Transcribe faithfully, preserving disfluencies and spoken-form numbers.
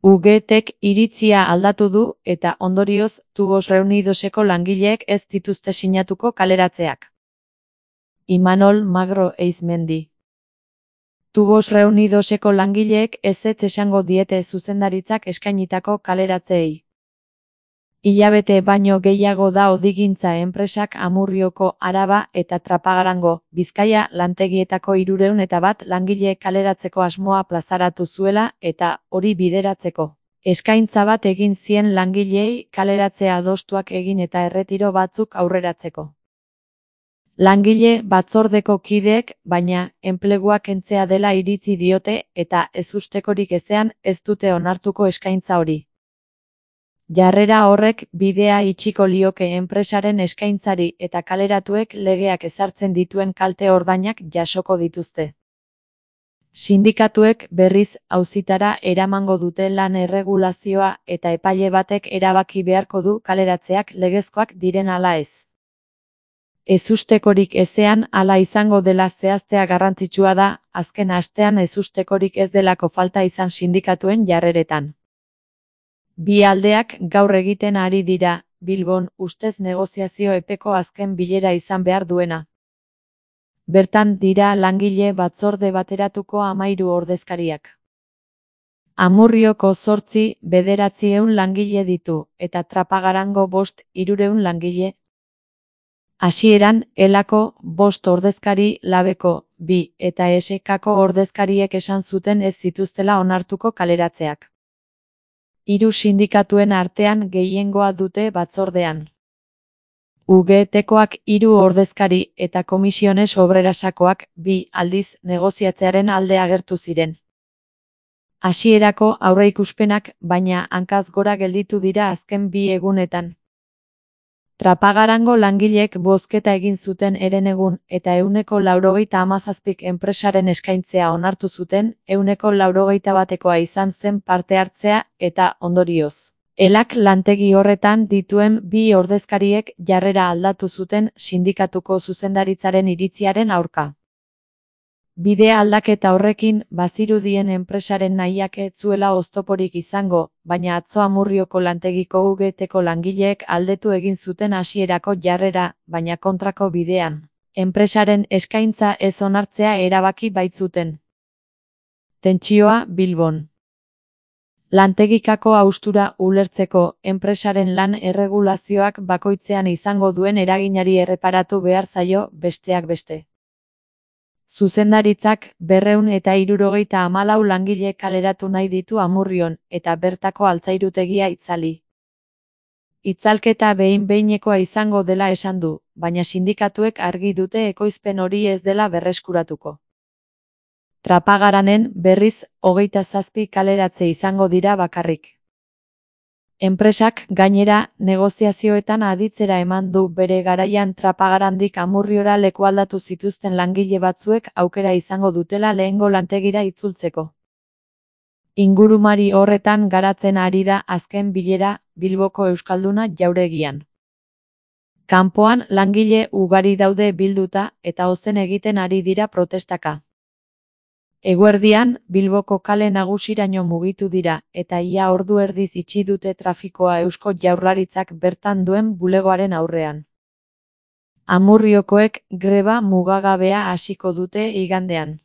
Ugetek iritzia aldatu du eta ondorioz Tubos Reunidoseko langileek ez dituzte sinatuko kaleratzeak. Imanol Magro Eizmendi. Tubos Reunidoseko langileek ezetz esango diete zuzendaritzak eskainitako kaleratzeei. Hilabete baino gehiago da Odigintza enpresak Amurrioko, Araba eta Trapagarango, Bizkaia lantegietako hirurehun eta bat langile kaleratzeko asmoa plazaratu zuela eta hori bideratzeko. Eskaintza bat egin zien langileei kaleratzea adostuak egin eta erretiro batzuk aurreratzeko. Langile batzordeko kideek, baina, enplegua kentzea dela iritzi diote eta ezustekorik ezean ez dute onartuko eskaintza hori. Jarrera horrek bidea itxiko lioke enpresaren eskaintzari eta kaleratuek legeak ezartzen dituen kalte ordainak jasoko dituzte. Sindikatuek berriz auzitara eramango dute lan erregulazioa eta epaile batek erabaki beharko du kaleratzeak legezkoak diren ala ez. Ezustekorik ezean hala izango dela zehaztea garrantzitsua da, azken astean ezustekorik ez delako falta izan sindikatuen jarreretan. Bi aldeak gaur egiten ari dira, Bilbon, ustez negoziazio epeko azken bilera izan behar duena. Bertan dira langile batzorde bateratuko hamahiru ordezkariak. Amurrioko zortzi, bederatziehun langile ditu, eta Trapagarango bost, hirurehun langile. Hasieran, Elako, bost ordezkari, Labeko, bi, eta Esekako ordezkariek esan zuten ez zituztela onartuko kaleratzeak. Hiru sindikatuen artean gehiengoa dute batzordean. Ugetekoak hiru ordezkari eta Komisiones Obrerasakoak bi aldiz negoziatzearen alde agertu ziren. Hasierako aurreikuspenak, baina hankaz gora gelditu dira azken bi egunetan. Trapagarango langileek bozketa egin zuten herenegun eta ehuneko laurogeita hamazazpik enpresaren eskaintzea onartu zuten, ehuneko laurogeita batekoa izan zen parte hartzea eta ondorioz. Elak lantegi horretan dituen bi ordezkariek jarrera aldatu zuten sindikatuko zuzendaritzaren iritziaren aurka. Bidea aldaketa horrekin bazirudien enpresaren nahiak ez zuela oztoporik izango, baina atzo Amurrioko lantegiko Ugeteko langileek aldetu egin zuten hasierako jarrera, baina kontrako bidean. Enpresaren eskaintza ez onartzea erabaki baitzuten. Tentsioa Bilbon. Lantegikako haustura ulertzeko, enpresaren lan erregulazioak bakoitzean izango duen eraginari erreparatu behar zaio, besteak beste. Zuzendaritzak berrehun eta hirurogeita hamalau langile kaleratu nahi ditu Amurrion, eta bertako altzairutegia itzali. Itzalketa behin-behinekoa izango dela esan du, baina sindikatuek argi dute ekoizpen hori ez dela berreskuratuko. Trapagaranen, berriz, hogeita zazpi kaleratze izango dira bakarrik. Enpresak, gainera, negoziazioetan aditzera eman du bere garaian Trapagarandik Amurriora lekualdatu zituzten langile batzuek aukera izango dutela lehengo lantegira itzultzeko. Ingurumari horretan garatzen ari da azken bilera Bilboko Euskalduna jauregian. Kanpoan langile ugari daude bilduta eta ozen egiten ari dira protestaka. Eguerdian, Bilboko kale nagusiraino mugitu dira, eta ia ordu erdiz itxi dute trafikoa Eusko Jaurlaritzak bertan duen bulegoaren aurrean. Amurriokoek greba mugagabea hasiko dute igandean.